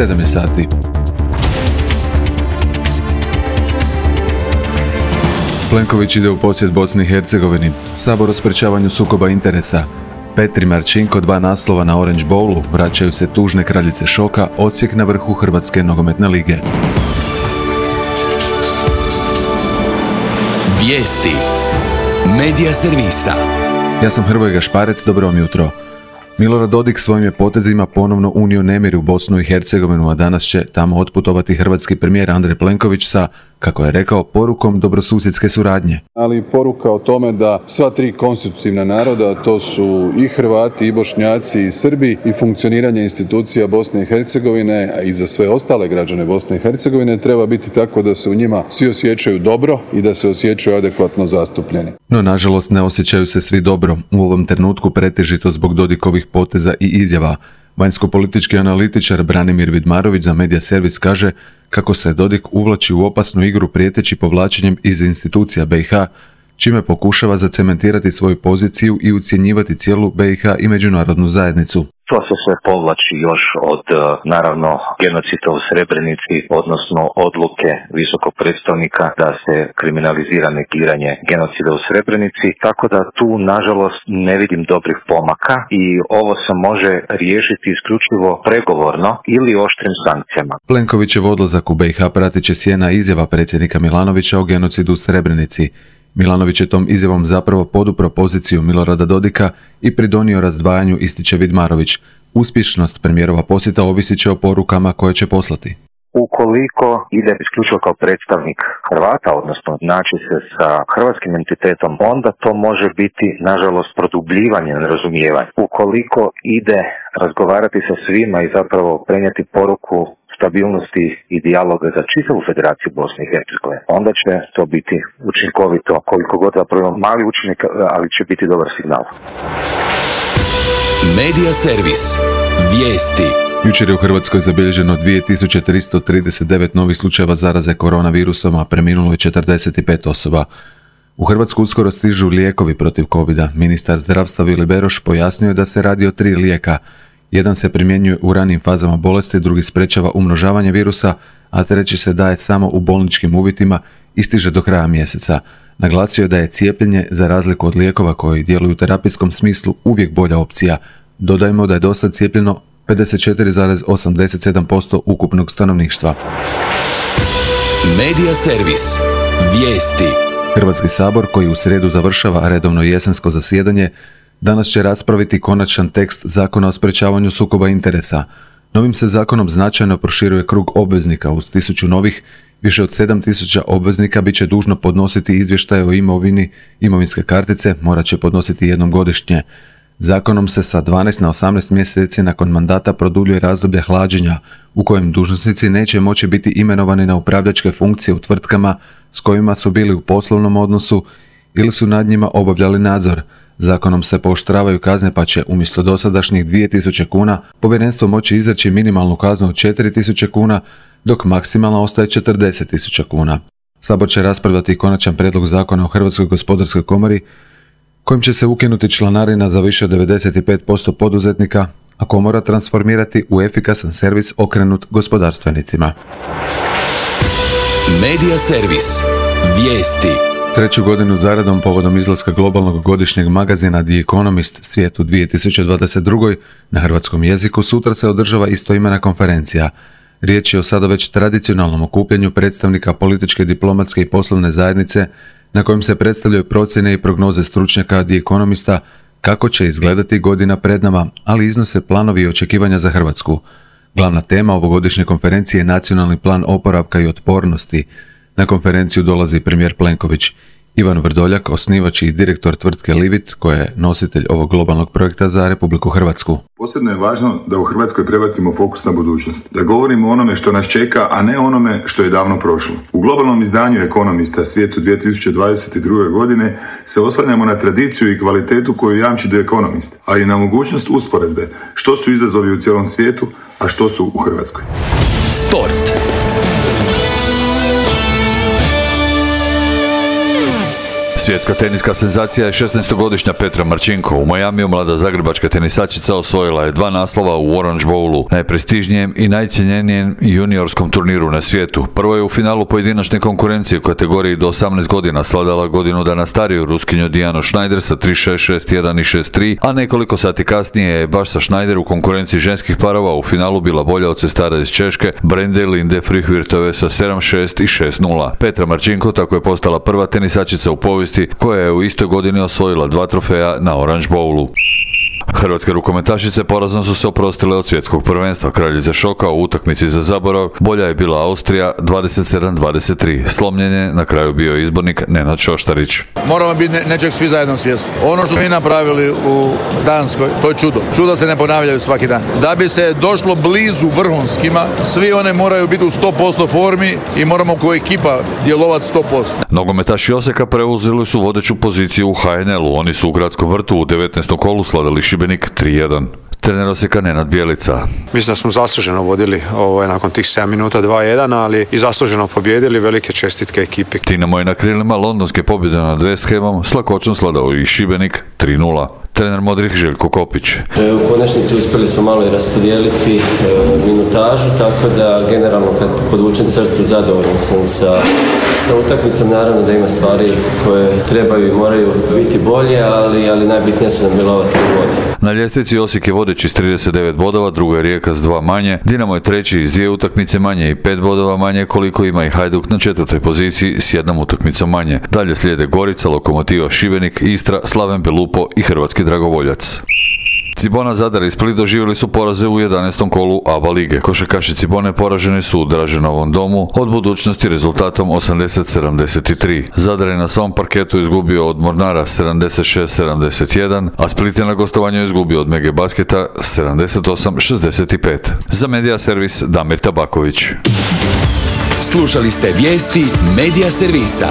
7 je sati. Plenković ide u posjet Bosni i Hercegovini. Sabor o sprečavanju sukoba interesa. Petri Marčinko 2 naslova na Orange Bowlu. Vraćaju se tužne kraljice šoka. Osijek na vrhu Hrvatske nogometne lige. Vijesti Medija servisa. Ja sam Hrvoje Gašparec, dobro vam jutro. Milorad Dodik svojim je potezima ponovno unio nemir u Bosnu i Hercegovinu, a danas će tamo otputovati hrvatski premijer Andrej Plenković sa, kako je rekao, porukom dobrosusjedske suradnje. Ali i poruka o tome da sva 3 konstitutivna naroda, to su i Hrvati, i Bošnjaci, i Srbi, i funkcioniranje institucija Bosne i Hercegovine, a i za sve ostale građane Bosne i Hercegovine, treba biti tako da se u njima svi osjećaju dobro i da se osjećaju adekvatno zastupljeni. No, nažalost, ne osjećaju se svi dobro. U ovom trenutku pretežito zbog Dodikovih poteza i izjava. Vanjsko-politički analitičar Branimir Vidmarović za Medija servis kaže kako se Dodik uvlači u opasnu igru prijeteći povlačenjem iz institucija BiH, čime pokušava zacementirati svoju poziciju i ucjenjivati cijelu BiH i međunarodnu zajednicu. To se sve povlači još od, naravno, genocida u Srebrenici, odnosno odluke visokog predstavnika da se kriminalizira negiranje genocida u Srebrenici, tako da tu, nažalost, ne vidim dobrih pomaka i ovo se može riješiti isključivo pregovorno ili oštrim sankcijama. Plenkovićev odlazak u BiH pratit će sjena izjava predsjednika Milanovića o genocidu u Srebrenici. Milanović je tom izjavom zapravo podupro poziciju Milorada Dodika i pridonio razdvajanju, ističe Vidmarović. Uspješnost premijerova posjeta ovisit će o porukama koje će poslati. Ukoliko ide isključivo kao predstavnik Hrvata, odnosno naći se sa hrvatskim entitetom, onda to može biti, nažalost, produbljivanje nerazumijevanja. Ukoliko ide razgovarati sa svima i zapravo prenijeti poruku stabilnosti i dijaloga za čitavu Federaciju Bosne i Hercegovine, onda će to biti učinkovito, koliko god zapravo mali učinak, ali će biti dobar signal. Medija servis. Vijesti. Jučer je u Hrvatskoj zabilježeno 2339 novih slučajeva zaraze koronavirusom, a preminulo je 45 osoba. U Hrvatsku uskoro stižu lijekovi protiv covida. Ministar zdravstva Vili Beroš pojasnio je da se radi o 3 lijeka. Jedan se primjenjuje u ranijim fazama bolesti, drugi sprečava umnožavanje virusa, a treći se daje samo u bolničkim uvjetima i stiže do kraja mjeseca. Naglasio je da je cijepljenje, za razliku od lijekova koji djeluju u terapijskom smislu, uvijek bolja opcija. Dodajmo da je dosad cijepljeno 54,87% ukupnog stanovništva. Medija servis. Vijesti. Hrvatski sabor, koji u srijedu završava redovno jesensko zasjedanje, danas će raspraviti konačan tekst Zakona o sprečavanju sukoba interesa. Novim se zakonom značajno proširuje krug obveznika. Uz 1000 novih, više od 7000 obveznika bit će dužno podnositi izvještaje o imovini, imovinske kartice morat će podnositi jednom godišnje. Zakonom se sa 12 na 18 mjeseci nakon mandata produljuje razdoblje hlađenja, u kojem dužnosnici neće moći biti imenovani na upravljačke funkcije u tvrtkama s kojima su bili u poslovnom odnosu ili su nad njima obavljali nadzor. Zakonom se pooštravaju kazne, pa će umjesto dosadašnjih 2000 kuna povjerenstvo moći izreći minimalnu kaznu od 4000 kuna, dok maksimalno ostaje 40.000 kuna. Sabor će raspravljati konačan prijedlog zakona o Hrvatskoj gospodarskoj komori, kojim će se ukinuti članarina za više od 95% poduzetnika, a komora transformirati u efikasan servis okrenut gospodarstvenicima. Medija servis. Vijesti. 3. godinu zaredom povodom izlaska globalnog godišnjeg magazina The Economist Svijet u 2022. na hrvatskom jeziku sutra se održava istoimena konferencija. Riječ je o sada već tradicionalnom okupljanju predstavnika političke, diplomatske i poslovne zajednice na kojem se predstavljaju procjene i prognoze stručnjaka The Economista kako će izgledati godina pred nama, ali iznose planovi i očekivanja za Hrvatsku. Glavna tema ovogodišnje konferencije je nacionalni plan oporavka i otpornosti. Na konferenciju dolazi premijer Plenković. Ivan Vrdoljak, osnivač i direktor tvrtke Livit, koja je nositelj ovog globalnog projekta za Republiku Hrvatsku. Posebno je važno da u Hrvatskoj prebacimo fokus na budućnost. Da govorimo o onome što nas čeka, a ne onome što je davno prošlo. U globalnom izdanju Economista Svijetu 2022. godine se oslanjamo na tradiciju i kvalitetu koju jamči The Economist, ali i na mogućnost usporedbe što su izazovi u cijelom svijetu, a što su u Hrvatskoj. Sport. Svjetska teniska senzacija je 16-godišnja Petra Marčinko. U Majamiju mlada zagrebačka tenisačica osvojila je 2 naslova u Orange Bowlu, najprestižnijem i najcjenjenijem juniorskom turniru na svijetu. Prvo je u finalu pojedinačne konkurencije u kategoriji do 18 godina sladala godinu dana stariju Ruskinju Dijanu Schneider sa 3-6, 6-1 i 6-3, a nekoliko sati kasnije je baš sa Schneider u konkurenciji ženskih parova u finalu bila bolja od sestara iz Češke Brende Linde Frihvirtove sa 7-6 i 6-0. Petra Marčinko tako je postala prva tenisačica u povijesti koja je u istoj godini osvojila 2 trofeja na Orange Bowlu. Hrvatske rukometašice porazno su se oprostile od svjetskog prvenstva. Kraljice šoka u utakmici za zaborav bolja je bila Austrija 27-23. Slomljen je na kraju bio izbornik Nenad Šoštarić. Moramo biti nečeg svi zajedno svjesni. Ono što mi napravili u Danskoj, to je čudo. Čuda se ne ponavljaju svaki dan. Da bi se došlo blizu vrhunskima, svi one moraju biti u 100% formi i moramo kao ekipa djelovati 100%. Nogometaši Osijeka preuzeli su vodeću poziciju u HNL-u. Oni su u Gradskom vrtu u 19. kolu slavili Šibenik 3-1. Trener Osijeka Nenad Bjelica. Mislim da smo zasluženo vodili nakon tih 7 minuta 2-1, ali i zasluženo pobjedili. Velike čestitke ekipi. Dinamo je na krilima londonske pobjede nad West Hamom s lakoćom sladao i Šibenik 3-0. Trener Modrih Željko Kopić. U konačnici uspjeli smo malo i raspodijeliti minutažu, tako da generalno kad podvučem crtu zadovoljan sam sa utakmicom. Naravno da ima stvari koje trebaju i moraju biti bolje, ali najbitnije su nam bilo ova 3 boda. Na ljestvici Osijek je vodeći s 39 bodova, druga je Rijeka s 2 manje, Dinamo je treći s 2 utakmice manje i 5 bodova manje, koliko ima i Hajduk na 4. poziciji s 1 utakmicom manje. Dalje slijede Gorica, Lokomotiva Šibenik, Istra, Slaven Belupo i Hrvatski Dragovoljac. Cibona, Zadar i Split doživjeli su poraze u 11. kolu ABA lige. Košarkaši Cibone poraženi su u Draženovom domu od Budućnosti rezultatom 80-73. Zadar je na svom parketu izgubio od Mornara 76-71, a Split je na gostovanju izgubio od Mege Basketa 78-65. Za Medija Servis Damir Tabaković. Slušali ste vijesti Medija Servisa.